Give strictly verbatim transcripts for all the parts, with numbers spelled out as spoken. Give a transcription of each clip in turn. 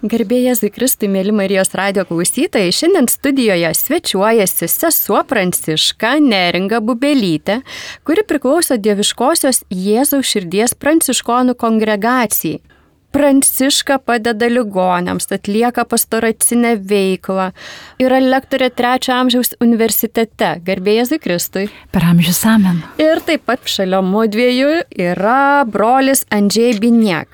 Garbė Jėzui Kristui, mėly Marijos radijo klausytojai, šiandien studijoje svečiuojasi sesuo Pranciška Neringa Bubelytė, kuri priklauso Dieviškosios Jėzaus širdies pranciškonų kongregacijai. Pranciška padeda ligoniams, atlieka pastoracinę veiklą, yra lektorė trečio amžiaus universitete. Garbė Jėzui Kristui. Per amžius amen. Ir taip pat šalia mudviejų yra brolis Andžej Biniek.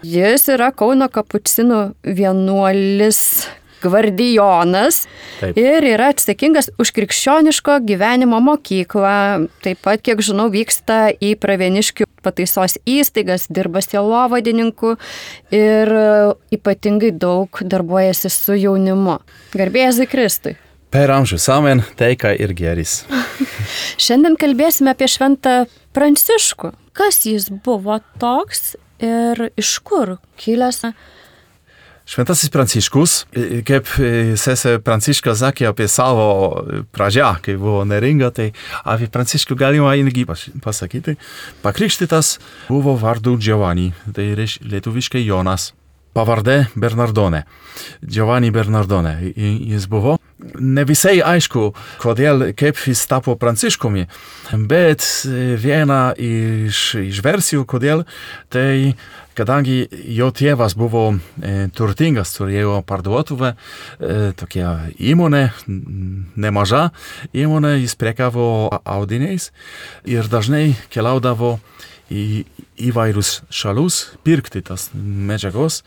Jis yra Kauno kapucinų vienuolis gvardijonas. Taip. Ir yra atsakingas už krikščioniško gyvenimo mokyklą. Taip pat, kiek žinau, vyksta į Pravieniškių pataisos įstaigas, dirba sielovadininku ir ypatingai daug darbuojasi su jaunimu. Garbė Jėzui Kristui. Per amžius amen, taika ir gėris. Šiandien kalbėsime apie šventą Pranciškų. Kas jis buvo toks ir iš kur kilęs? Šventasis Pranciškus, kaip sesė Pranciška sakė apie savo pradžią, kai buvo Neringa, tai apie Pranciškų galima irgi pasakyti. Pakrikštytas buvo vardu Giovanni, tai lietuviškai Jonas. Pavardė Bernardone. Giovanni Bernardone. Jis buvo. Ne visai aišku, kodėl, kaip jis tapo Pranciškumi, bet viena iš, iš versijų, kodėl, tai kadangi jo tėvas buvo e, turtingas, turėjo parduotuvę, e, tokia įmonė, nemaža įmonė, jis prekavo audiniais ir dažnai keliaudavo į įvairius šalius pirkti tas medžiagos,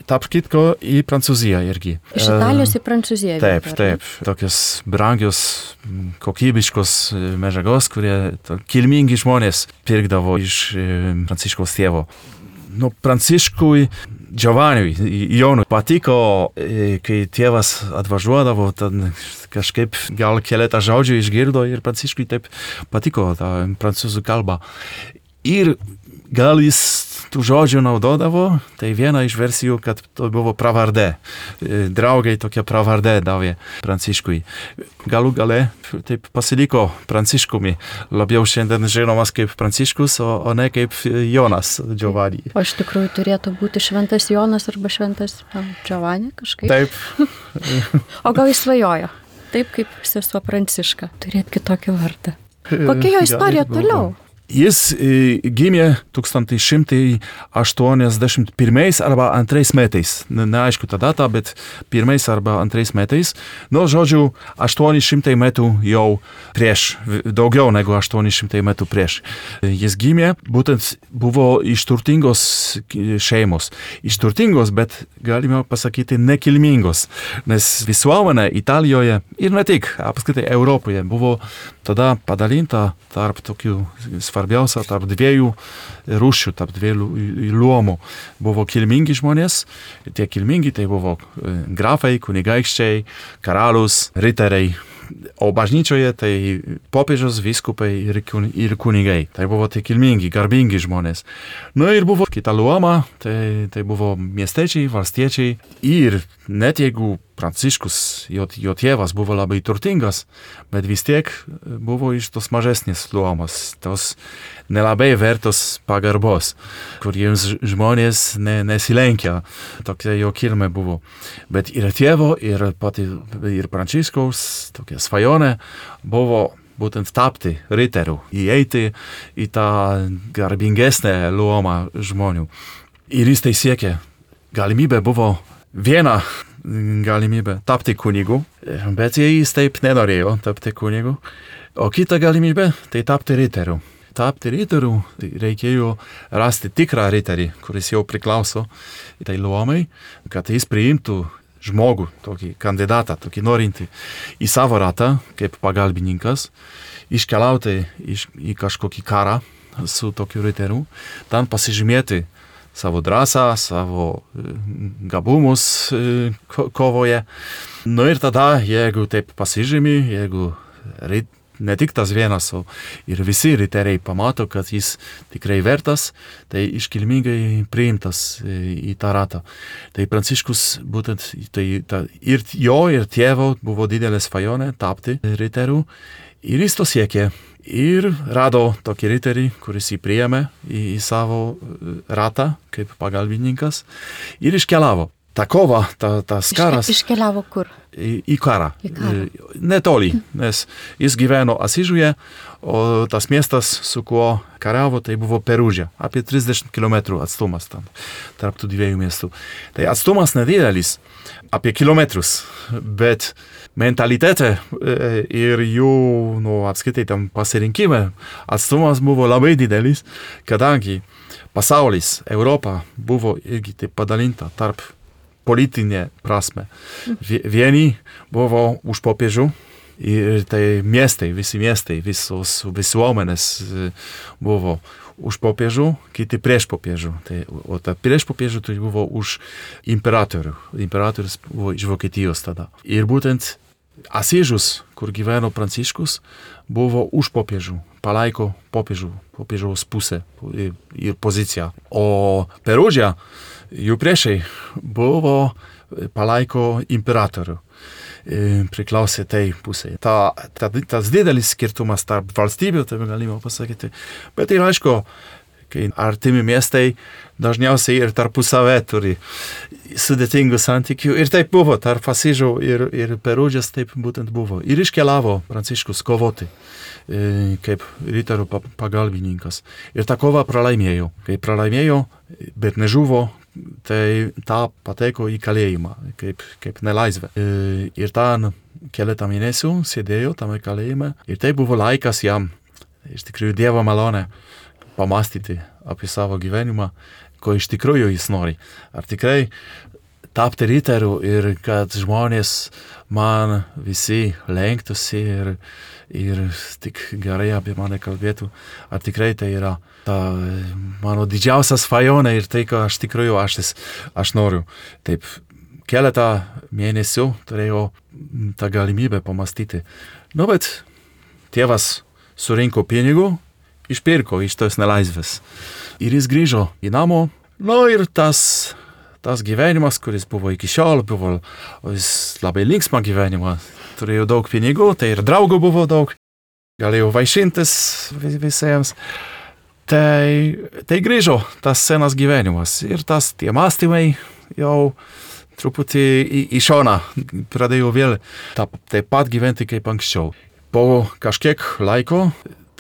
tarp kitko į Prancūziją irgi. Iš Italijos į Prancūziją. Taip, taip. Tokios brangios, kokybiškos medžiagos, kurie kilmingi žmonės pirkdavo iš Pranciškaus tėvo. Nu, Pranciškui, Giovanniui, Jonui patiko, kai tėvas atvažiuodavo, tad kažkaip gal keletą žodžių išgirdo ir Pranciškui taip patiko tą prancūzų kalbą. Ir gal jis tų žodžių naudodavo, tai viena iš versijų, kad to buvo pravardė. Draugai tokia pravardė davė Pranciškui. Galų gale taip pasiliko Pranciškumi. Labiau šiandien žinomas kaip Pranciškus, o, o ne kaip Jonas Giovanni. O iš tikrųjų turėtų būti šventas Jonas arba šventas Giovanni kažkaip? Taip. O gal jis svajojo? Taip kaip sesuo Pranciška, turėti kitokį vardą. Kokia jo istorija toliau? Jis gimė tūkstantis šimtas aštuoniasdešimt pirmais arba antrais metais. Neaišku tą datą, bet pirmais arba antrais metais. Nu, žodžiu, aštuoni šimtai metų jau prieš, daugiau negu aštuoni šimtai metų prieš. Jis gimė, būtent buvo iš turtingos šeimos. Iš turtingos, bet galime pasakyti nekilmingos. Nes visuomenė Italijoje ir ne tik, apskritai Europoje buvo tada padalinta tarp tokių svarbiausia, tarp dviejų rūšių, tarp dviejų luomų. Buvo kilmingi žmonės, tie kilmingi tai buvo grafai, kunigaikščiai, karalius, riteriai. O bažnyčioje tai popiežius, vyskupai ir, ir kunigai. Tai buvo tie kilmingi, garbingi žmonės. Nu ir buvo kita luoma, tai, tai buvo miestiečiai, valstiečiai. Ir net jeigu Pranciškus, jo, jo tėvas buvo labai turtingas, bet vis tiek buvo iš tos mažesnės luomos, tos nelabai vertos pagarbos, kuriems žmonės ne, nesilenkia. Tokia jo kilmė buvo. Bet ir tėvo, ir pati, ir Pranciškaus tokia svajonė buvo būtent tapti riteriu, įeiti į tą garbingesnę luomą žmonių. Ir jis tai siekė. Galimybė buvo viena galimybė tapti kunigu, bet jis taip nenorėjo tapti kunigu. O kita galimybė tai tapti riteriu. Tapti riteriu tai reikėjo rasti tikrą riterį, kuris jau priklauso tai luomai, kad jis priimtų žmogų, tokį kandidatą, tokį norintį į savo ratą, kaip pagalbininkas, iškeliauti iš, į kažkokį karą su tokiu riteriu, ten pasižymėti savo drąsą, savo gabumus kovoje. Nu ir tada, jeigu taip pasižymi, jeigu ne tik tas vienas, o ir visi riteriai pamato, kad jis tikrai vertas, tai iškilmingai priimtas į tą ratą. Tai Pranciškus būtent tai, ta, ir jo, ir tėvo buvo didelė svajonė tapti riteriu. Ir jis to siekė. Ir rado tokį riterį, kuris jį priėmė į, į savo ratą kaip pagalbininkas ir iškeliavo. ta kova, ta, tas karas... Iške, iškeliavo kur? Į, į karą. Į karą. Netoli, nes jis gyveno Asižuje, o tas miestas, su kuo kariavo, tai buvo Perūžė. Apie trisdešimt kilometrų atstumas tam, tarp tų dviejų miestų. Tai atstumas nedidelis, apie kilometrus, bet mentalitete ir jų, nu, apskaitai tam pasirinkime atstumas buvo labai didelis, kadangi pasaulis, Europa buvo irgi taip padalinta tarp politinė prasme. Vieni buvo už popiežių ir tai miestai, visi miestai, visos visuomenės buvo už popiežių, kiti prieš popiežių. Tai, o ta prieš popiežių tai buvo už imperatorių. Imperatorius buvo iš Vokietijos tada. Ir būtent Asižus, kur gyveno Pranciškus, buvo už popiežių, palaiko popiežių, popiežiaus pusę ir, ir poziciją. O Perūžė, jų priešai buvo palaiko imperatorių, priklausė tai pusėje. Ta, ta, tas didelis skirtumas tarp valstybių, tai galima pasakyti. Bet ir aišku, kai artimi miestai dažniausiai ir tarpusavę turi sudėtingų santykių. Ir taip buvo, tarp Asižų ir, ir Perūžės taip būtent buvo. Ir iškeliavo Pranciškus kovoti kaip riterių pagalbininkas. Ir tą kovą pralaimėjo. Kai pralaimėjo, bet nežuvo, tai tą pateko į kalėjimą, kaip, kaip nelaisvę. Ir ten keletą mėnesių sėdėjo tame kalėjime. Ir tai buvo laikas jam, iš tikrųjų, Dievo malonė, pamastyti apie savo gyvenimą, ko iš tikrųjų jis nori. Ar tikrai tapti riteriu ir kad žmonės man visi lenktųsi ir, ir tik gerai apie mane kalbėtų. Ar tikrai tai yra ta mano didžiausia svajonė ir tai, ką aš tikrųjų aš, aš noriu. Taip, keletą mėnesių turėjau tą galimybę pamastyti. Nu, bet tėvas surinko pinigų, išpirko iš tos nelaisvės. Ir jis grįžo į namo. Nu ir tas, tas gyvenimas, kuris buvo iki šiol, buvo jis labai linksma gyvenimą. Turėjo daug pinigų, tai ir draugų buvo daug. Galėjau vaišintis vis, visiems. Tai, tai grįžo tas senas gyvenimas. Ir tas tie mąstymai jau truputį į, į šoną pradėjo vėl ta, taip pat gyventi kaip anksčiau. Po kažkiek laiko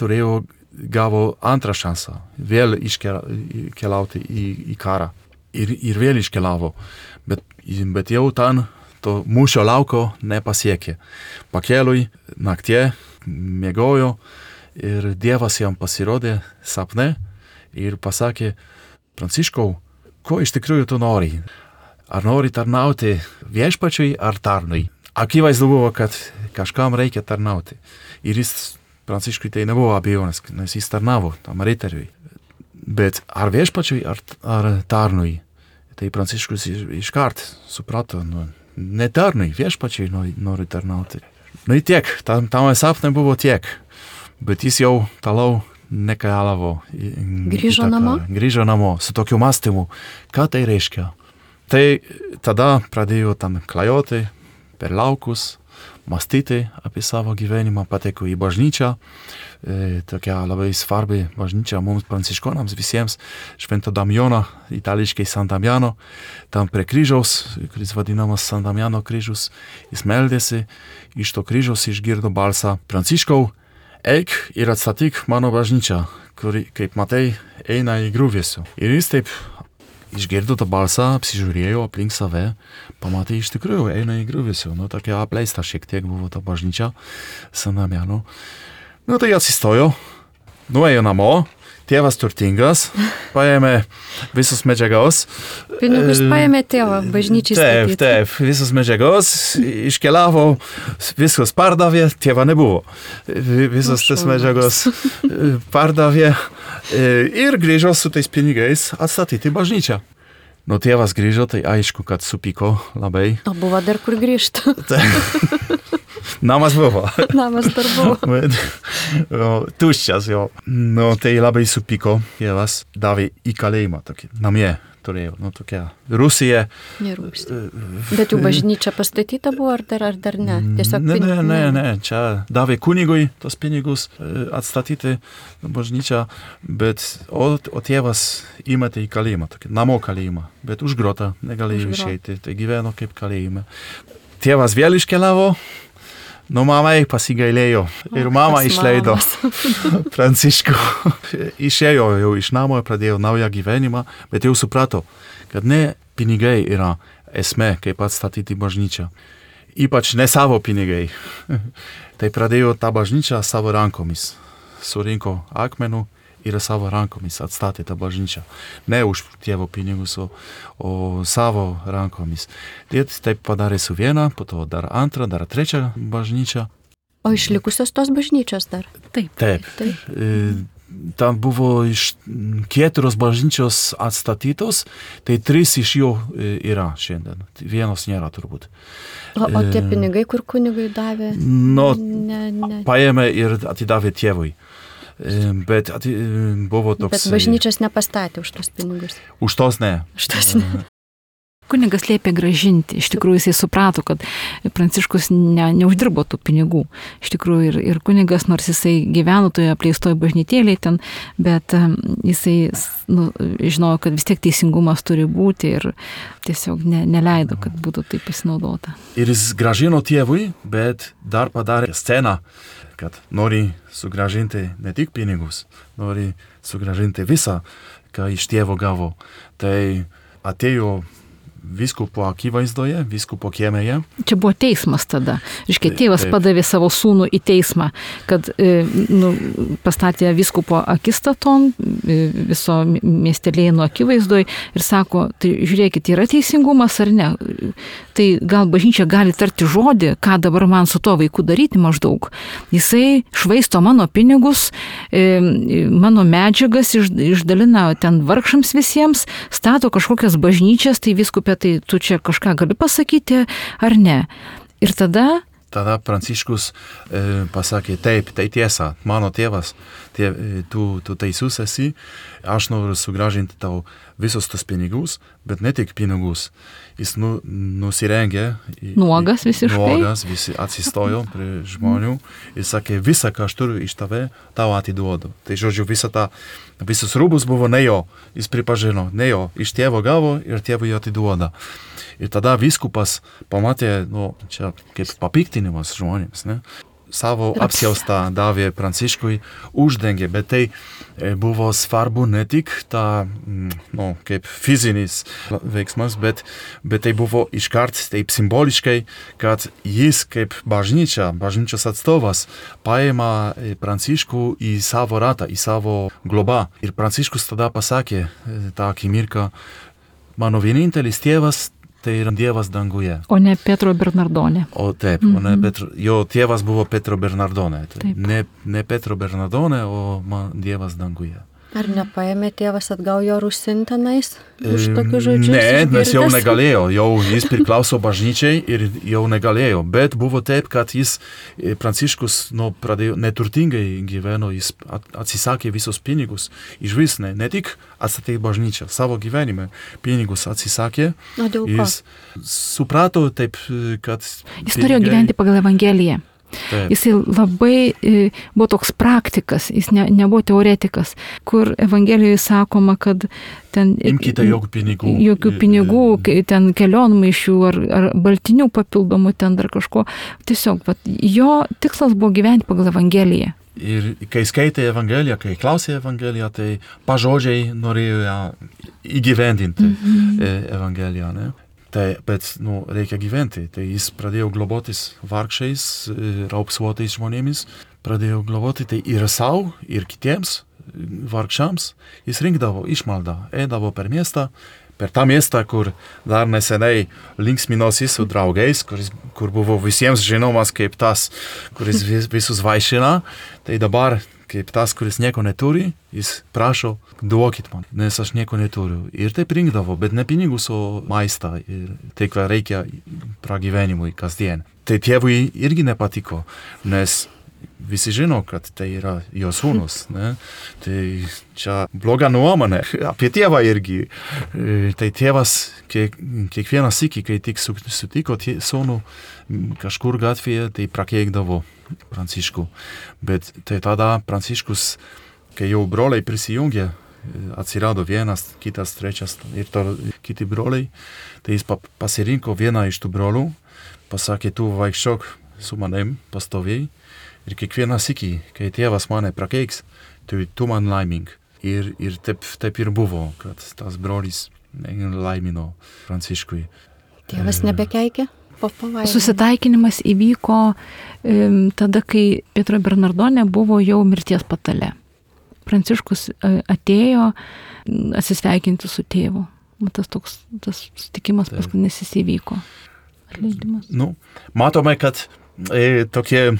turėjau gavo antrą šansą vėl iškeliauti į, į karą. Ir, ir vėl iškeliavo. Bet, bet jau ten to mūšio lauko nepasiekė. Pakeliui naktie miegojo ir Dievas jam pasirodė sapne ir pasakė: Pranciškau, ko iš tikrųjų tu nori? Ar nori tarnauti viešpačiui ar tarnui? Akivaizdu buvo, kad kažkam reikia tarnauti. Ir jis Pranciškui tai nebuvo abejonės, nes jis tarnavo tam riteriui. Bet ar viešpačiui, ar, ar tarnui? Tai Pranciškus iškart suprato, nu, ne tarnui, viešpačiui nori, nori tarnauti. Nu ir tiek, tam, tam sapne buvo tiek. Bet jis jau toliau nekeliavo. Grįžo namo? Grįžo namo su tokiu mąstymu. Ką tai reiškia? Tai tada pradėjo tam klajoti per laukus, mąstyti apie savo gyvenimą, pateko į bažnyčią, e, tokia labai svarbi bažnyčia mums pranciškonams visiems, Švento Damjono, itališkai San Damiano, tam prie kryžiaus, kuris vadinamas San Damiano kryžius, jis meldėsi, iš to kryžiaus išgirdo balsą: Pranciškau, eik ir atstatyk mano bažnyčią, kuri, kaip matai, eina į griuvėsių. Ir jis taip išgirdo tą balsą, apsižiūrėjo aplink save, pamatė, iš tikrųjų eina į griuvėsių. Nu, tokia apleista šiek tiek buvo ta bažnyčia San Damiano. Nu, tai atsistojo, nuėjo namo, tėvas turtingas, paėmė visus medžiagos. Pinigus paėmė tėvą, bažnyčiai statyti. Taip, taip, visus medžiagos, iškeliavo, viskas pardavė, tėva nebuvo. Visus tas medžiagos pardavė ir grįžo su tais pinigais atstatyti bažnyčią. Nu, tėvas grįžo, tai aišku, kad supyko labai. O buvo dar kur grįžti. Namas buvo. Namas dar buvo. Bet, o, tuščias jo. Nu, tai labai supyko. Tėvas davė į kalėjimą tokį, namie, turėjo, nu tokia Rusija. Nerūpsti. Bet jų bažnyčia pastatyta buvo, ar dar, ar dar ne? Tiesiog ne, pinigai. ne, ne, ne, čia davė kunigui tos pinigus atstatyti bažnyčią, bet o, o tėvas įmetė į kalėjimą, tokį namo kalėjimą, bet už grotą negalėjo išeiti, tai gyveno kaip kalėjime. Tėvas vėl iškeliavo, nu mamai pasigailėjo ir mama išleido Pranciškų. Išėjo jau iš namo ir pradėjo naują gyvenimą, bet jau suprato, kad ne pinigai yra esmė, kaip atstatyti bažnyčią. Ypač ne savo pinigai. Tai pradėjo tą bažnyčią savo rankomis. Surinko akmenų ir savo rankomis atstatė tą bažnyčią. Ne už tėvo pinigus, o, o savo rankomis. Ir taip padarė su viena, po to dar antrą, dar trečią bažnyčią. O išlikusios tos bažnyčios dar? Taip. Taip. Taip. E, tam buvo iš keturios bažnyčios atstatytos, tai trys iš jų yra šiandien. Vienos nėra turbūt. O, o tie pinigai, kur kunigai davė? No, ne, ne. Paėmė ir atidavė tėvui. Bet ati, buvo toks... Bet bažnyčios nepastatė už tos pinigus. Už tos ne. Už tos ne. Kunigas liepė gražinti. Iš tikrųjų jisai suprato, kad Pranciškus ne, neuždirbo tų pinigų. Iš tikrųjų ir, ir kunigas, nors jisai gyveno toje apleistoje bažnytėlėje ten, bet jisai nu, žinojo, kad vis tiek teisingumas turi būti ir tiesiog ne, neleido, kad būtų taip pasinaudota. Ir jis gražino tėvui, bet dar padarė sceną, kad nori sugražinti ne tik pinigus, nori sugražinti visą, ką iš tėvo gavo. Tai atėjo vyskupo akivaizdoje, vyskupo kiemėje. Čia buvo teismas tada. Reiškia, tėvas taip. Padavė savo sūnų į teismą, kad e, nu, pastatė vyskupo akistaton, e, viso miestelėjimo akivaizdoje ir sako, tai žiūrėkit, yra teisingumas ar ne? Tai gal bažnyčia gali tarti žodį, ką dabar man su to vaiku daryti maždaug. Jisai švaisto mano pinigus, e, mano medžiagas iš, išdalina ten vargšams visiems, stato kažkokias bažnyčias, tai vyskupė, tai tu čia kažką gali pasakyti ar ne. Ir tada... Tada Pranciškus e, pasakė, taip, tai tiesa, mano tėvas, tie, tu, tu teisus esi, aš noriu sugražinti tau visus tos pinigus, bet ne tik pinigus. Jis nu, nusirengė. Nuogas visiškai. Nuogas, visi atsistojo prie žmonių ir sakė, visą, ką aš turiu iš tave, tau atiduodu. Tai žodžiu, visa ta, visus rūbus buvo ne jo, jis pripažino, ne jo, iš tėvo gavo ir tėvui atiduoda. Ir tada vyskupas pamatė, nu, čia kaip papiktinimas žmonėms, ne? Savo apsiaustą davė Pranciškui, uždengė, bet tai buvo svarbu ne tik ta, nu, kaip fizinis veiksmas, bet, bet tai buvo iškart taip simboliškai, kad jis kaip bažnyčia, bažnyčios atstovas paima Pranciškų į savo ratą, į savo globą. Ir Pranciškus tada pasakė tą akimirką, mano vienintelis tėvas, tai yra Dievas danguje. O ne Petro Bernardone. O taip, mm-hmm. o ne Petro, jo tėvas buvo Petro Bernardone. Tai ne, ne Petro Bernardone, o man Dievas danguje. Ar nepaėmė tėvas atgal jo rusintenais už tokius žodžius? Ne, išgirdęs? Nes jau negalėjo, jau jis priklauso bažnyčiai ir jau negalėjo, bet buvo taip, kad jis, Pranciškus, nu, pradėjo neturtingai gyveno, jis atsisakė visus pinigus, iš vis ne, ne tik atstatė bažnyčią, savo gyvenime pinigus atsisakė. O dėl ko? Jis suprato taip, kad... Jis norėjo gyventi pagal Evangeliją. Taip. Jisai labai e, buvo toks praktikas, jis ne, nebuvo teoretikas, kur Evangelijoje sakoma, kad ten... Imkite jokių pinigų. Jokių pinigų, ten kelionmaišių ar, ar baltinių papildomų, ten dar kažko. Tiesiog, vat, jo tikslas buvo gyventi pagal Evangeliją. Ir kai skaitė Evangeliją, kai klausė Evangeliją, tai pažodžiai norėjo ją įgyvendinti mm-hmm. Evangeliją, ne? Tai, bet, nu, reikia gyventi. Tai jis pradėjo globotis vargšais, raupsuotais žmonėmis, pradėjo globoti tai ir savo, ir kitiems vargšams. Jis rinkdavo išmaldą, eidavo per miestą, per tą miestą, kur dar neseniai linksminosi su draugais, kuris, kur buvo visiems žinomas kaip tas, kuris vis, visus vaišina. Tai dabar kaip tas, kuris nieko neturi, jis prašo, duokit man, nes aš nieko neturiu. Ir taip rinkdavo, bet ne pinigus, o maistą. Ir tai, ką reikia pragyvenimui kasdien. Tai tėvui irgi nepatiko, nes visi žino, kad tai yra jo sūnus. Ne? Tai čia bloga nuomonė apie tėvą irgi. Tai tėvas kiek, kiekvieną sykį, kai tik sutiko sūnų kažkur gatvėje, tai prakeikdavo Pranciškų. Bet tai tada Pranciškus, kai jau broliai prisijungė, atsirado vienas, kitas, trečias ir to, kiti broliai, tai jis pasirinko vieną iš tų brolių, pasakė, tu vaikščiok su manim pastoviai ir kiekvieną sykį, kai tėvas mane prakeiks, tai tu man laimink. Ir, ir taip, taip ir buvo, kad tas brolis laimino Pranciškui. Tėvas nebekeikė? Susitaikinimas įvyko um, tada, kai Pietro Bernardone buvo jau mirties patale. Pranciškus atėjo atsisveikinti su tėvu. Tas toks, tas sutikimas paskutinis įvyko. Atleidimas. Nu, matome, kad e, tokie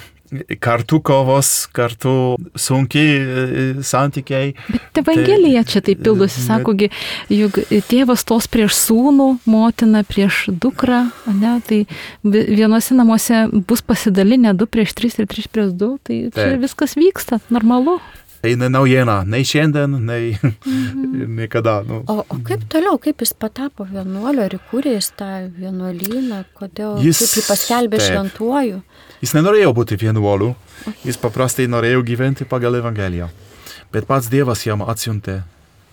kartu kovos, kartu sunkiai e, santykiai. Bet Evangelija tai, čia taip pildosi, bet, sakogi, juk tėvas tos prieš sūnų, motina prieš dukrą, ne, tai vienose namuose bus pasidalinę du prieš tris ir tris prieš du, tai čia taip. Viskas vyksta, normalu. Tai ne naujiena, nei šiandien, nei mm-hmm. niekada. Nu. O, o kaip toliau, kaip jis patapo vienuoliu, ar įkūrė jis tą vienuolyną, kodėl jis, kaip jį paskelbė šventuoju? Jis nenorėjo būti vienuoliu, jis paprastai norėjo gyventi pagal Evangeliją. Bet pats Dievas jam atsiuntė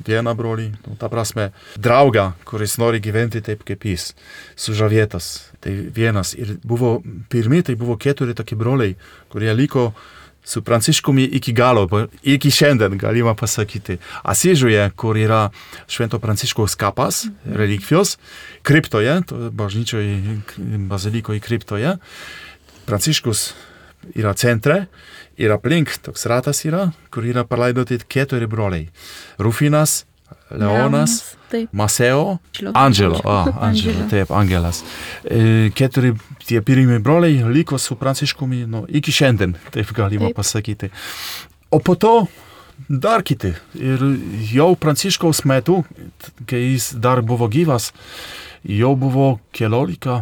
vieną brolį, nu, ta prasme, draugą, kuris nori gyventi taip kaip jis, sužavėtas. Tai vienas. Ir buvo, pirmi tai buvo keturi tokie broliai, kurie liko su Pranciškumi iki galo, iki šiandien galima pasakyti. Asyžiuje, kur yra Švento Pranciškaus kapas, relikvijos, kriptoje, bažnyčioje, bazilikoje kriptoje. Pranciškus yra centre ir aplink toks ratas yra, kur yra palaidoti keturi broliai. Rufinas, Leonas, Maseo, Angelo, ah, Angelo, taip, Angelas. E, keturi tie pirmi broliai liko su Pranciškumi, nu, iki šiandien, taip galima taip. Pasakyti. O po to dar kiti. Ir jau Pranciškaus metu, kai jis dar buvo gyvas, jau buvo keliolika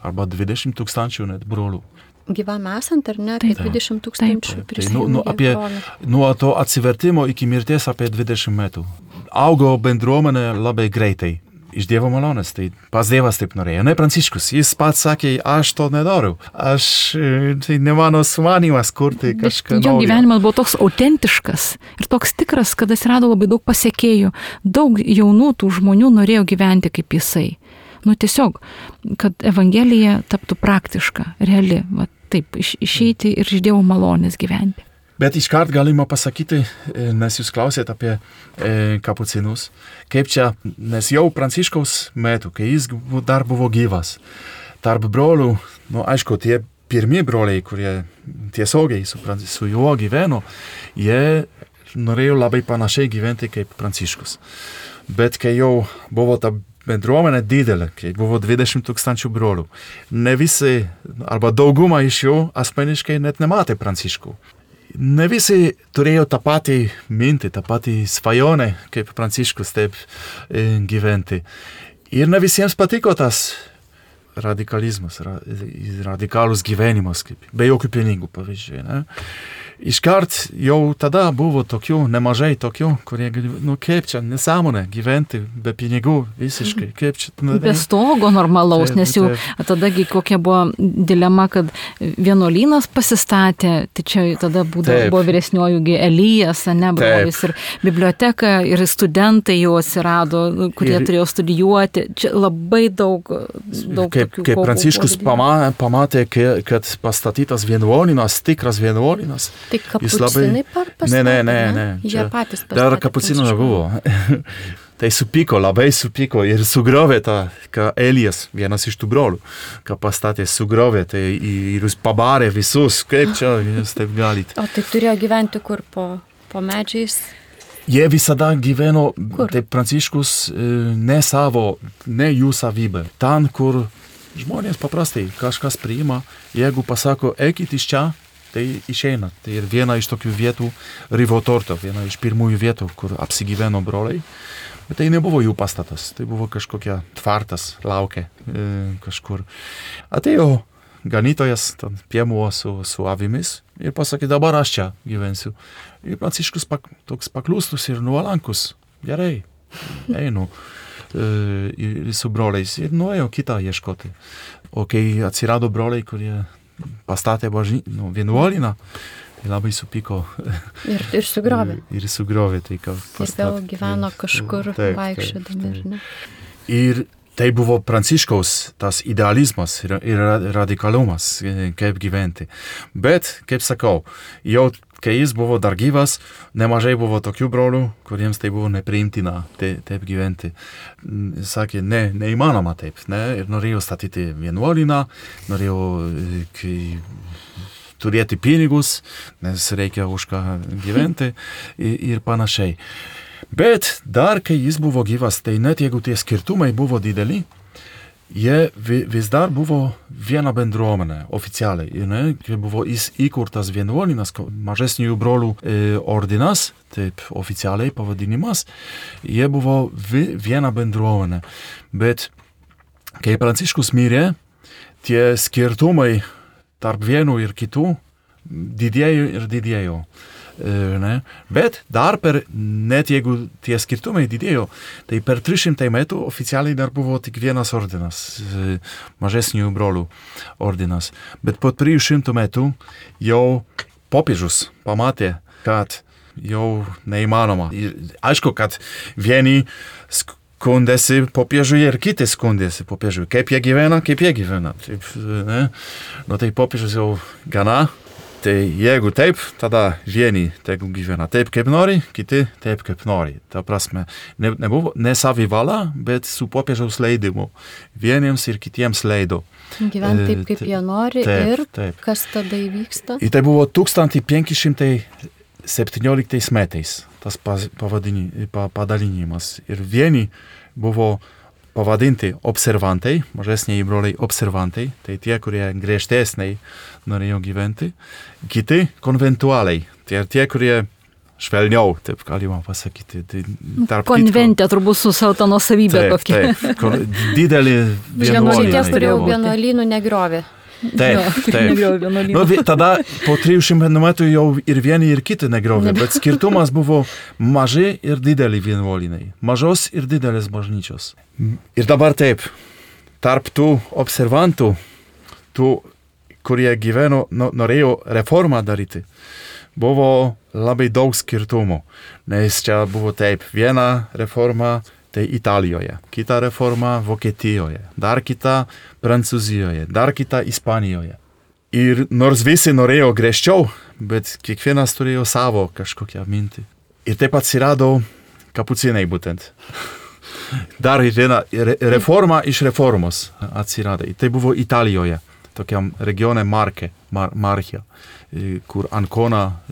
arba dvidešimt tūkstančių net brolių. Gyvam esant, ar ne, apie dvidešimt tūkstančių prisijungė. Nu, apie, nuo to atsivertimo iki mirties apie dvidešimt metų. Augo bendruomenė labai greitai. Iš Dievo malonės, tai pats Dievas taip norėjo. Ne Pranciškus, jis pats sakė, aš to nedariau. Aš, tai ne mano sumanymas kurti kažką naujo. Jo gyvenimas buvo toks autentiškas ir toks tikras, kad atsirado labai daug pasekėjų. Daug jaunų tų žmonių norėjo gyventi kaip jisai. Nu tiesiog, kad Evangelija taptų praktiška, reali, va, taip, iš, išeiti ir iš Dievo malonės gyventi. Bet iškart galima pasakyti, nes jūs klausėt apie e, kapucinus, kaip čia, nes jau Pranciškaus metu, kai jis dar buvo gyvas, tarp brolių, nu aišku, tie pirmi broliai, kurie tiesiogiai su, su juo gyveno, jie norėjo labai panašiai gyventi kaip Pranciškus. Bet kai jau buvo ta bendruomenė didelė, kai buvo dvidešimt tūkstančių brolių, ne visi, arba dauguma iš jų asmeniškai net nematė Pranciškų. Ne visi turėjo tą patį mintį, tą patį svajonę, kaip Pranciškus taip e, gyventi. Ir ne visiems patiko tas radikalizmas, ra, radikalus gyvenimas, kaip, be jokių pinigų pavyzdžiui. Ne? Iškart jau tada buvo tokių, nemažai tokių, kurie, nu kaip čia, nesąmonė gyventi be pinigų visiškai, kaip čia. Nu, be stogo normalaus, taip, nes jau taip. Tadagi kokia buvo dilema, kad vienuolynas pasistatė, tai čia tada būdavo, buvo vyresniojųgi Elijas, ne, brolis, ir biblioteka, ir studentai jau atsirado, kurie ir, turėjo studijuoti. Čia labai daug, daug kaip, tokių. Kaip Pranciškus pamatė, pamatė, kad pastatytas vienuolynas, tikras vienuolynas. Tai kapucinai pastatė? Ne, ne, ne, ne. Jie patys pastatė. Dar kapucinų nebuvo. Tai supyko, labai supyko ir sugriovė tą, ką Elijas, vienas iš tų brolių, ką pastatė, sugriovė, tai ir jūs pabarė visus, kaip čia jūs taip galite. O tai turėjo gyventi kur, po, po medžiais? Jie visada gyveno, kur? Taip Pranciškus, ne savo, ne jų savybę. Ten, kur žmonės paprastai kažkas priima, jeigu pasako, eikit iš čia, tai išeina. Tai ir viena iš tokių vietų, Rivotorto, viena iš pirmųjų vietų, kur apsigyveno broliai. Bet tai nebuvo jų pastatas, tai buvo kažkokia tvartas, laukė e, kažkur. Atėjo ganytojas, ten piemuo su, su avimis ir pasakė, dabar aš čia gyvensiu. Ir Pranciškus pak, toks paklustus ir nuolankus. Gerai, einu e, ir su broliais ir nuėjau kitą ieškoti. O kai atsirado broliai, kurie pastatė bažny, nu, vienuolyną, tai labai supyko. Ir, ir sugriovė. Ir, ir sugriovė. Tai, ir vėl gyveno kažkur vaikščiodami. Ir tai buvo Pranciškaus tas idealizmas ir, ir radikalumas, kaip gyventi. Bet, kaip sakau, jau kai jis buvo dar gyvas, nemažai buvo tokių brolių, kuriems tai buvo nepriimtina taip, taip gyventi. Sakė, ne, neįmanoma taip, ne, ir norėjo statyti vienuolyną, norėjo kai, turėti pinigus, nes reikia už ką gyventi ir, ir panašiai. Bet dar, kai jis buvo gyvas, tai net jeigu tie skirtumai buvo dideli, jie vis dar buvo viena bendruomenė oficialiai. Ne? Kai buvo įkurtas vienuolynas, mažesnių brolių e, ordinas, taip oficialiai pavadinimas, jie buvo vi, viena bendruomenė. Bet kai Pranciškus mirė, tie skirtumai tarp vienų ir kitų didėjo ir didėjo. Ne? Bet dar per, net jeigu tie skirtumai didėjo, tai per tris šimtai metų oficialiai dar buvo tik vienas ordinas, mažesnių brolių ordinas. Bet po trijų šimtų metų jau popiežius pamatė, kad jau neįmanoma. Ir aišku, kad vieni skundėsi popiežiui ir kiti skundėsi popiežiui. Kaip jie gyvena, kaip jie gyvena. Taip, ne? Nu tai popiežius jau gana. Tai jeigu taip, tada vieni tegu gyvena taip, kaip nori, kiti taip, kaip nori. Ta prasme, ne, nebuvo ne savivala, bet su popiežiaus leidimu. Vieniems ir kitiems leido. Gyventi taip, kaip jie nori taip, ir taip. Kas tada įvyksta? Ir tai buvo tūkstantis penki šimtai septynioliktais metais tas pavadini, padalinimas. Ir vieni buvo pavadinti observantai, mažesniai broliai observantai, tai tie, kurie griežtesniai norėjo gyventi. Kiti konventualiai, tie, tie kurie švelniau, taip galima pasakyti. Tai konventė kitko, turbūt su savo tą nuosavybę kokia. Taip, kon, didelį vienuolynai. Ties turėjau vienuolynų negriovė. Taip, taip. Nu, tada po trijų šimtų metų jau ir vieni ir kiti negriovė, bet skirtumas buvo maži ir dideli vienuolynai. Mažos ir didelės bažnyčios. Ir dabar taip, tarp tų observantų, tų, kurie gyveno, norėjo reformą daryti, buvo labai daug skirtumų. Nes čia buvo taip, viena reforma tai Italijoje, kita reforma Vokietijoje, dar kita Prancūzijoje, dar kita Ispanijoje. Ir nors visi norėjo griežčiau, bet kiekvienas turėjo savo kažkokią mintį. Ir taip atsirado kapucinai būtent. Dar viena reforma iš reformos atsirado. Tai buvo Italijoje, tokiam regione Marke, Mar- Marchia, kur Ancona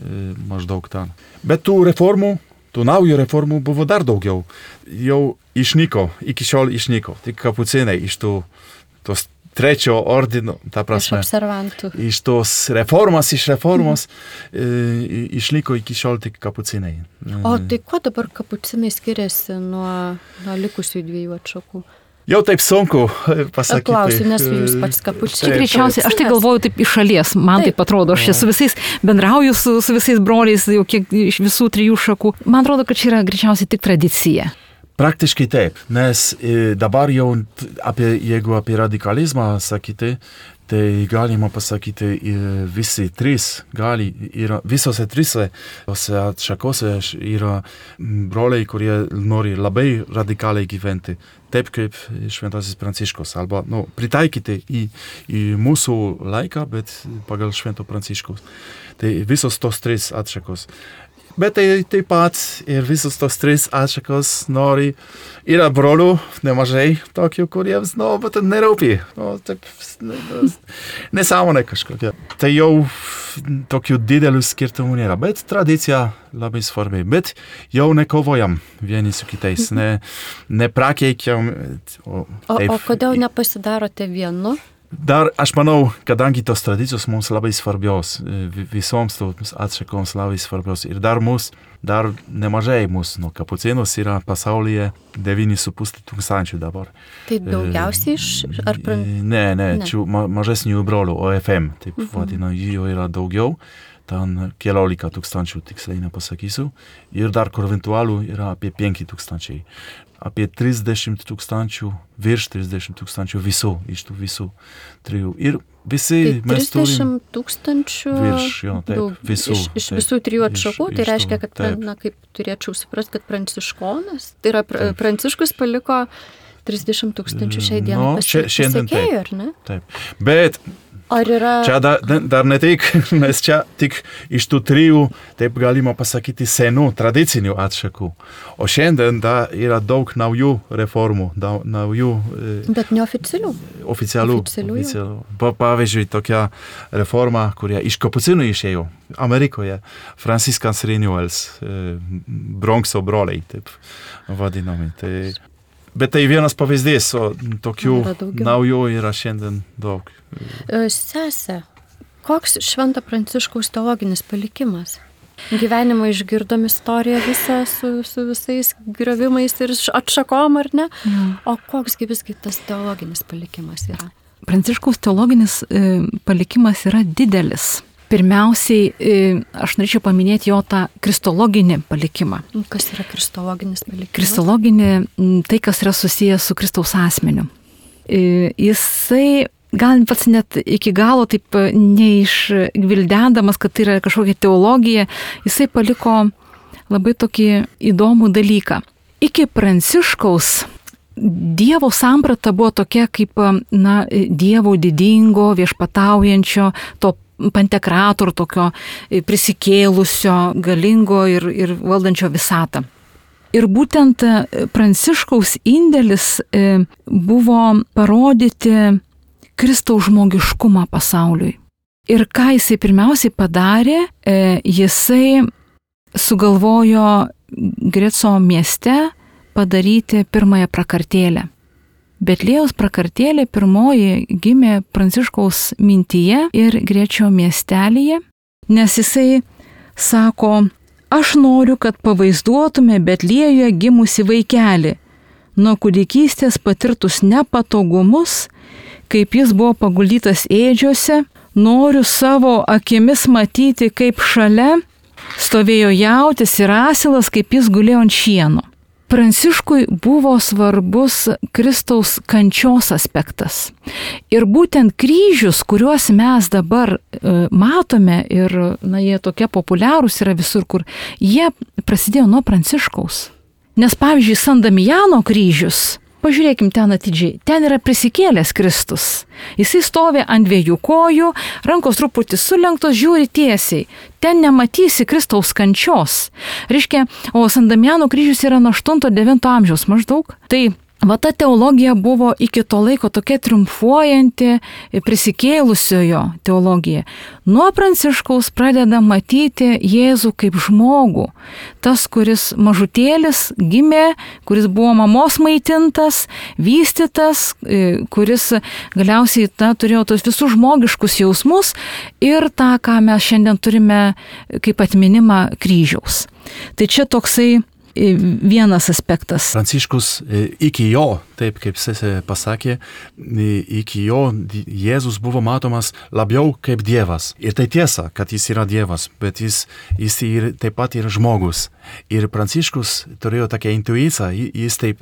maždaug ten. Bet tų reformų, tų naujų reformų buvo dar daugiau. Jau išnyko, iki šiol išnyko. Tik kapucinai iš tų, tos trečio ordino, ta prasme. Iš observantų. Iš tos reformas, iš reformos mhm. e, išliko iki šiol tik kapucinai. O tai kuo dabar kapucinai skiriasi nuo, nuo likusių dviejų atšakų? Jau taip sunku pasakyti. Klausiu, nes jūs pats kapučinas. Čia greičiausiai, aš tai galvoju taip iš šalies, man taip, taip atrodo, aš čia su visais bendrauju, su, su visais broliais, jau kiek iš visų trijų šakų. Man atrodo, kad čia yra greičiausiai tik tradicija. Praktiškai taip, nes dabar jau, apie, jeigu apie radikalizmą sakyti, tai galima pasakyti, visi trys gali, yra, visose trise atšakose yra broliai, kurie nori labai radikaliai gyventi, taip kaip šventasis Pranciškus, arba nu, pritaikyti į, į mūsų laiką, bet pagal švento Pranciškus. Tai visos tos trys atšakos. Bet tai taip pat ir visos tos trys atšakos nori, yra brolių nemažai tokių, kuriems, nu, bet nerūpi, nu, taip, nesąmonė kažkokia. Tai jau tokių didelių skirtumų nėra, bet tradicija labai svarbi. Bet jau nekovojam vieni su kitais, ne, neprakeikiam. O, o, o kodėl nepasidarote vienu? dar aš manau, kadangi tos tradicijos mums labai svarbios, visoms tos atšakoms labai svarbios ir dar mus, dar nemažai mūsų, nu, kapucinus yra pasaulyje devyni su puse tūkstančių dabar. Tai daugiausiai iš... Ar pran... Ne, ne, ne. Čia ma, mažesnių brolių, O F M, taip uh-huh. vadina, jų yra daugiau. Ten keliolika tūkstančių, tiksliai nepasakysiu. Ir dar konventualų yra apie penki tūkstančiai. Apie trisdešimt tūkstančių, virš trisdešimt tūkstančių visų, iš tų visų trijų. Ir visi tai mes turim... trisdešimt tūkstančių virš, jo, taip, daug, visų. Iš, iš taip, visų trijų atšakų, iš, tai iš reiškia, kad, taip. na, kaip turėčiau suprasti, kad pranciškonas, tai yra pra, Pranciškus paliko trisdešimt tūkstančių šiai dienai no, pasi, pasiekėjų, ar ne? Taip, bet... Ar yra... Čia dar, dar ne tik, nes čia tik iš tų trijų, taip galima pasakyti, senų, tradicinių atšakų. O šiandien dar yra daug naujų reformų, daug naujų... Bet neoficialių. Oficialių. Oficialių. oficialių. Pa, pavyzdžiui, tokia reforma, kurie iš kapucinų išėjo Amerikoje, Franciscans Renewals, Bronxo broliai, taip vadinami. Tai... Bet tai vienas pavyzdys, o tokių naujų yra šiandien daug. Sese, koks Švento Pranciškaus teologinis palikimas? Gyvenimą išgirdom istoriją visą su, su visais griovimais ir atšakom, ar ne? Mm. O koksgi visgi tas teologinis palikimas yra? Pranciškaus teologinis e, palikimas yra didelis. Pirmiausiai, aš norėčiau paminėti jo tą kristologinį palikimą. Kas yra kristologinis palikimas? Kristologinį, tai kas yra susijęs su Kristaus asmeniu. Jisai, gal pats net iki galo taip neišgvildendamas, kad tai yra kažkokia teologija, jisai paliko labai tokį įdomų dalyką. Iki Pranciškaus Dievo samprata buvo tokia kaip, na, Dievo didingo, viešpataujančio, to pantekrator tokio prisikėlusio, galingo ir, ir valdančio visatą. Ir būtent Pranciškaus indėlis buvo parodyti Kristaus žmogiškumą pasauliui. Ir ką jisai pirmiausiai padarė, jisai sugalvojo Greco mieste padaryti pirmąją prakartėlę. Betliejaus prakartėlė pirmoji gimė Pranciškaus mintyje ir Grečio miestelyje, nes jisai sako, aš noriu, kad pavaizduotume Betliejuje gimusi vaikelį, nuo kūdikystės patirtus nepatogumus, kaip jis buvo paguldytas ėdžiose, noriu savo akimis matyti, kaip šalia stovėjo jautis ir asilas, kaip jis gulėjo ant šieno. Pranciškui buvo svarbus Kristaus kančios aspektas. Ir būtent kryžius, kuriuos mes dabar e, matome ir na, jie tokie populiarūs yra visur, kur jie prasidėjo nuo Pranciškaus. Nes pavyzdžiui, San Damijano kryžius, pažiūrėkim ten atidžiai, ten yra prisikėlęs Kristus. Jisai stovi ant dviejų kojų, rankos truputį sulenktos, žiūri tiesiai. Ten nematysi Kristaus kančios. Reiškia, o San Damijano kryžius yra nuo aštunto devinto amžiaus maždaug. Tai va ta teologija buvo iki to laiko tokia triumfuojanti prisikėlusiojo teologija. Nuo Pranciškaus pradeda matyti Jėzų kaip žmogų. Tas, kuris mažutėlis gimė, kuris buvo mamos maitintas, vystytas, kuris galiausiai ta, turėjo tos visus žmogiškus jausmus ir tą, ką mes šiandien turime kaip atminimą kryžiaus. Tai čia toksai vienas aspektas. Pranciškus iki jo, taip kaip sesė pasakė, iki jo Jėzus buvo matomas labiau kaip Dievas. Ir tai tiesa, kad jis yra Dievas, bet jis, jis ir, taip pat yra žmogus. Ir Pranciškus turėjo tokią intuiciją, jis taip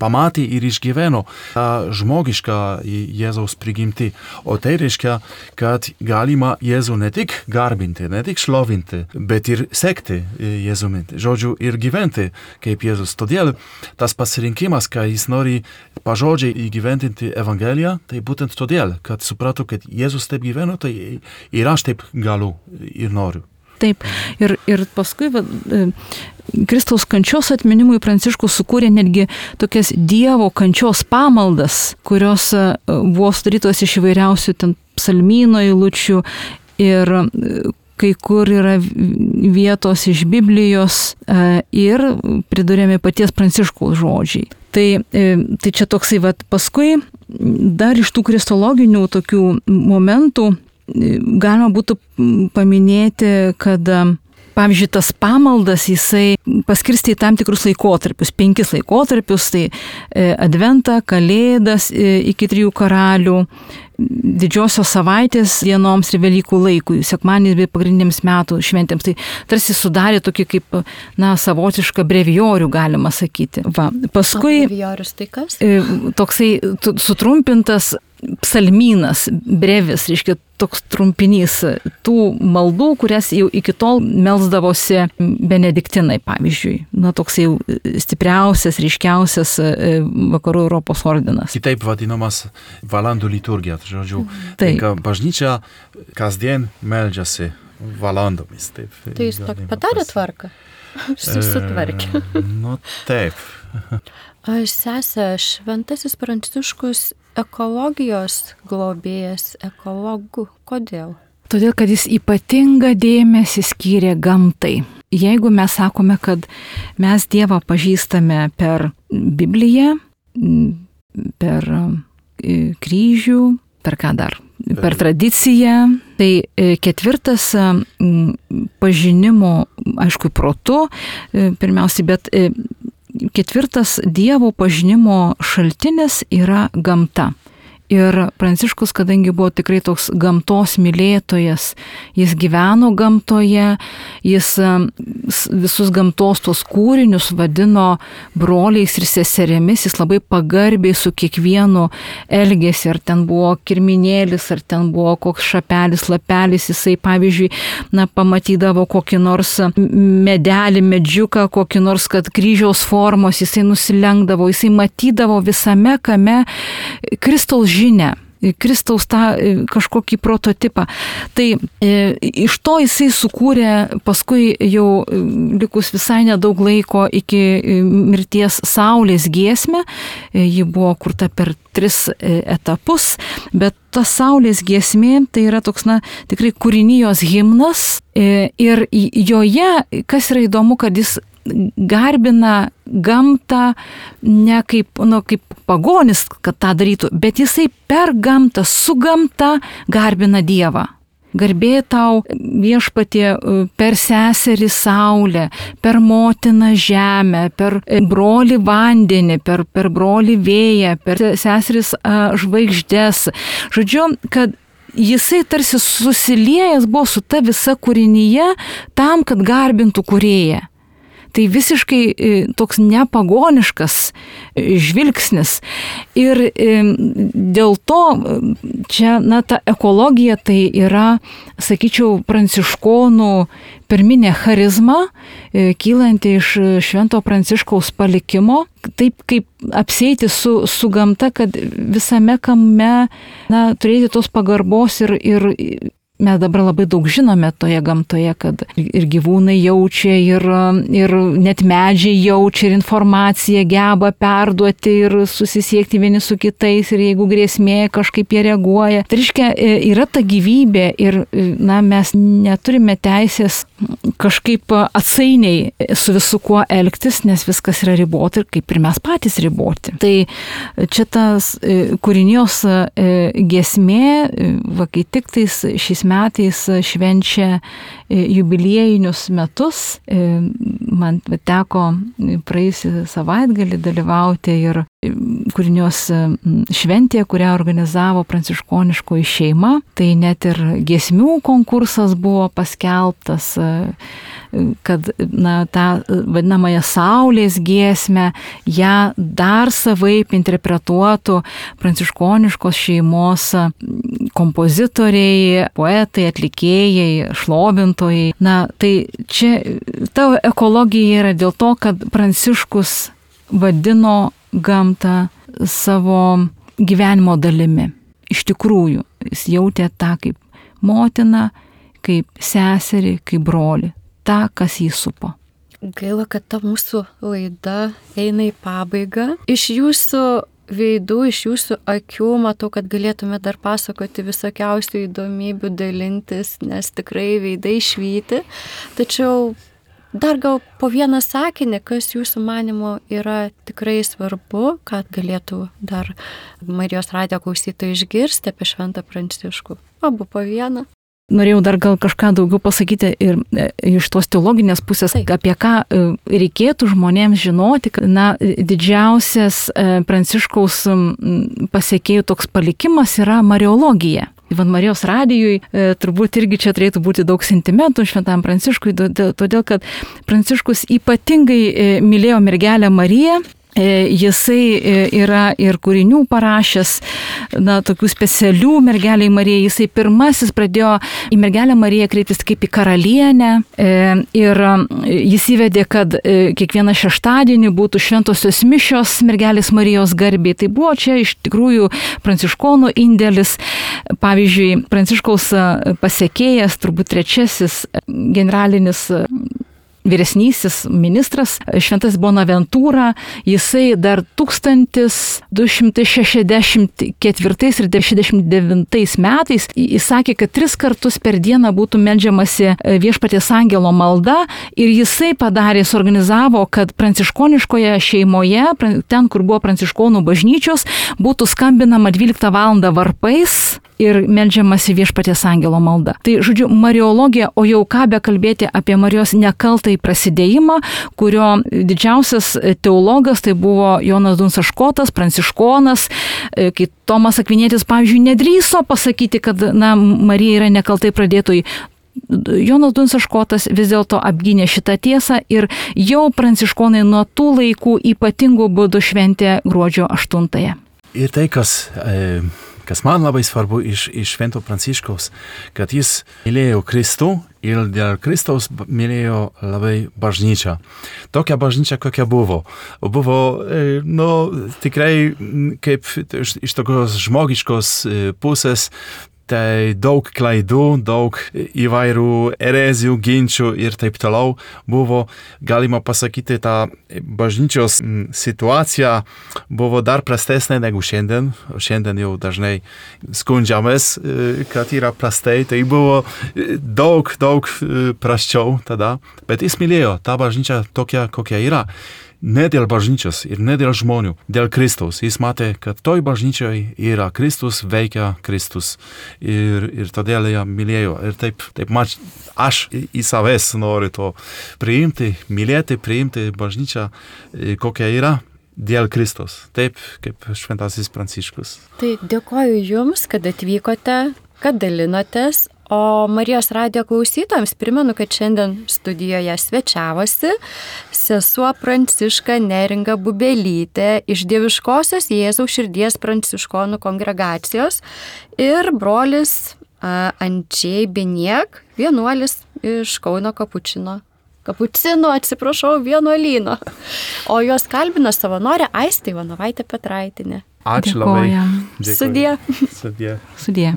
pamatė ir išgyveno tą žmogišką Jėzaus prigimtį. O tai reiškia, kad galima Jėzų ne tik garbinti, ne tik šlovinti, bet ir sekti Jėzumi. Žodžiu, ir gyventi kaip Jėzus. Todėl tas pasirinkimas, kai jis nori pažodžiai įgyventinti Evangeliją, tai būtent todėl, kad suprato, kad Jėzus taip gyveno, tai ir aš taip galiu ir noriu. Taip, ir, ir paskui va, Kristaus kančios atminimui Pranciškus sukūrė netgi tokias Dievo kančios pamaldas, kurios buvo sudarytos iš įvairiausių ten psalmyno eilučių ir kai kur yra vietos iš Biblijos ir priduriami paties Pranciškaus žodžiai. Tai, tai čia toksai, vat, paskui dar iš tų kristologinių tokių momentų galima būtų paminėti, kad pavyzdžiui, tas pamaldas jisai paskirstė į tam tikrus laikotarpius, penkis laikotarpius, tai Adventą, Kalėdas iki trijų karalių, didžiosios savaitės dienoms ir Velykų laikui, sekmadieniais bei pagrindiniams metų šventėms. Tai tarsi sudarė tokį kaip, na, savotišką brevijorių, galima sakyti. Va. Paskui brevijorius tai kas? Toksai sutrumpintas psalmynas, brevis, reiškia toks trumpinys tų maldų, kurias jau iki tol melsdavosi benediktinai, pavyzdžiui. Na, toks jau stipriausias, ryškiausias vakarų Europos ordinas. Kitaip vadinamas valandų liturgija. Žodžiu, tai bažnyčia kasdien meldžiasi valandomis. Taip, tai jis tokį padarė tvarką? Susitvarkė. E, nu, taip. Sesė, šventasis Pranciškus ekologijos globėjas, ekologų. Kodėl? Todėl, kad jis ypatingą dėmesį skyrė gamtai. Jeigu mes sakome, kad mes Dievą pažįstame per Bibliją, per kryžių, per ką dar? Per tradiciją, tai ketvirtas pažinimo, aišku, protu, pirmiausiai, bet ketvirtas Dievo pažinimo šaltinis yra gamta. Ir Pranciškus, kadangi buvo tikrai toks gamtos mylėtojas, jis gyveno gamtoje, jis visus gamtos tos kūrinius vadino broliais ir seserėmis, jis labai pagarbiai su kiekvienu elgėsi, ar ten buvo kirminėlis, ar ten buvo koks šapelis, lapelis, jisai, pavyzdžiui, na, pamatydavo kokį nors medelį, medžiuką, kokį nors, kad kryžiaus formos, jisai nusilenkdavo, jisai matydavo visame kame Kristaus žinę, Kristaus tą kažkokį prototipą. Tai e, iš to jisai sukūrė paskui jau likus visai nedaug laiko iki mirties Saulės giesmę. E, ji buvo kurta per tris etapus, bet ta Saulės giesmė tai yra toks, na, tikrai kūrinijos himnas. E, ir joje, kas yra įdomu, kad jis garbina gamtą ne kaip, nu, kaip pagonis, kad tą darytų, bet jisai per gamtą, su gamta garbina Dievą. Garbė tau viešpatie per seserį Saulę, per motiną žemę, per brolį vandenį, per, per brolį vėją, per seseris žvaigždes. Žodžiu, kad jisai tarsi susiliejęs buvo su ta visa kūrinyje tam, kad garbintų kūrėją. Tai visiškai toks nepagoniškas žvilgsnis. Ir dėl to čia, na, ta ekologija tai yra, sakyčiau, pranciškonų pirminė charizma, kylanti iš Švento Pranciškaus palikimo, taip kaip apsieiti su, su gamta, kad visame kame, na, turėti tos pagarbos ir, ir mes dabar labai daug žinome toje gamtoje, kad ir gyvūnai jaučia, ir, ir net medžiai jaučia, ir informaciją geba perduoti ir susisiekti vieni su kitais, ir jeigu grėsmė kažkaip jie reaguoja. Tai reiškia, yra ta gyvybė ir, na, mes neturime teisės kažkaip atsainiai su visu kuo elgtis, nes viskas yra ribota ir kaip ir mes patys riboti. Tai čia tas kūrinijos giesmė, va, kai tik tais šiais metais švenčia jubiliejinius metus. Man teko praėjusį savaitgalį dalyvauti ir kūrinios šventėje, kurią organizavo pranciškoniškoji šeima. Tai net ir giesmių konkursas buvo paskelbtas, kad, na, tą vadinamąją Saulės giesmę, ją dar savaip interpretuotų pranciškoniškos šeimos kompozitoriai, poetai, atlikėjai, šlovintojai. Na, tai čia ta ekologija yra dėl to, kad Pranciškus vadino gamtą savo gyvenimo dalimi. Iš tikrųjų, jis jautė tą kaip motiną, kaip seserį, kaip brolį, tą, kas jį supo. Gaila, kad ta mūsų laida eina į pabaigą. Iš jūsų veidų, iš jūsų akių matau, kad galėtume dar pasakoti visokiausių įdomybių, dalintis, nes tikrai veidai švyti. Tačiau dar gal po vieną sakinį, kas jūsų manimo yra tikrai svarbu, kad galėtų dar Marijos radijo klausytojai išgirsti apie Šventą Pranciškų. Abu po vieną. Norėjau dar gal kažką daugiau pasakyti ir iš tos teologinės pusės, apie ką reikėtų žmonėms žinoti. Na, didžiausias Pranciškaus pasekėjų toks palikimas yra mariologija. Ivan Marijos radijui e, turbūt irgi čia turėtų būti daug sentimentų Šventam Pranciškui, todėl kad Pranciškus ypatingai e, mylėjo mergelę Mariją. Jisai yra ir kūrinių parašęs, na, tokių specialių mergeliai Marijai. Jisai pirmasis pradėjo į mergelę Mariją kreiptis kaip į karalienę ir jis įvedė, kad kiekvieną šeštadienį būtų šventosios mišios mergelės Marijos garbei. Tai buvo čia iš tikrųjų pranciškonų indėlis. Pavyzdžiui, Pranciškaus pasekėjas, turbūt trečiasis generalinis vyresnysis ministras, šventas Bonaventūra, jisai dar tūkstantis du šimtai šešiasdešimt ketvirtais ir šešiasdešimt devintais metais įsakė, kad tris kartus per dieną būtų meldžiamasi Viešpaties angelo malda ir jisai padarė, suorganizavo, kad pranciškoniškoje šeimoje, ten, kur buvo pranciškonų bažnyčios, būtų skambinama dvyliktą valandą varpais ir meldžiamasi Viešpaties angelo malda. Tai, žodžiu, mariologija, o jau ką bekalbėti apie Marijos nekaltąjį prasidėjimą, kurio didžiausias teologas tai buvo Jonas Dunsaškotas, pranciškonas, kai Tomas Akvinietis, pavyzdžiui, nedrįso pasakyti, kad, na, Marija yra nekaltai pradėtojai. Jonas Dunsaškotas vis dėlto apgynė šitą tiesą ir jau pranciškonai nuo tų laikų ypatingų būdų šventė gruodžio aštuntąją. Ir tai, kas... E... Kas man labai svarbu iš, iš Švento Pranciškaus, kad jis mylėjo Kristų ir dėl Kristaus mylėjo labai bažnyčią. Tokia bažnyčia, kokia buvo. Buvo, nu, tikrai kaip iš, iš tokios žmogiškos pusės, tai daug klaidų, daug įvairių erezijų, ginčių ir taip toliau buvo, galima pasakyti, ta bažnyčios situacija buvo dar prastesnė negu šiandien. Šiandien jau dažnai skundžiamės, kad yra prastai, tai buvo daug, daug prasčiau tada, bet jis mylėjo tą bažnyčią tokia, kokia yra. Ne dėl bažnyčios ir ne dėl žmonių, dėl Kristaus. Jis matė, kad toj bažnyčioj yra Kristus, veikia Kristus ir, ir todėl ją mylėjo. Ir taip, taip mač, aš į savęs noriu to priimti, mylėti, priimti bažnyčią, kokia yra dėl Kristus. Taip, kaip Šventasis Pranciškus. Tai dėkoju Jums, kad atvykote, kad dalinotės. O Marijos radijo klausytojams primenu, kad šiandien studijoje svečiavosi sesuo Pranciška Neringa Bubelytė iš Dieviškosios Jėzaus širdies pranciškonų kongregacijos ir brolis Andžej Biniek, vienuolis iš Kauno Kapučino. Kapucino, atsiprašau, vienuolyno. O juos kalbino savanorė Aistė Ivanovaitė Petraitinė. Ačiū labai. Sudie. Sudie. Sudie.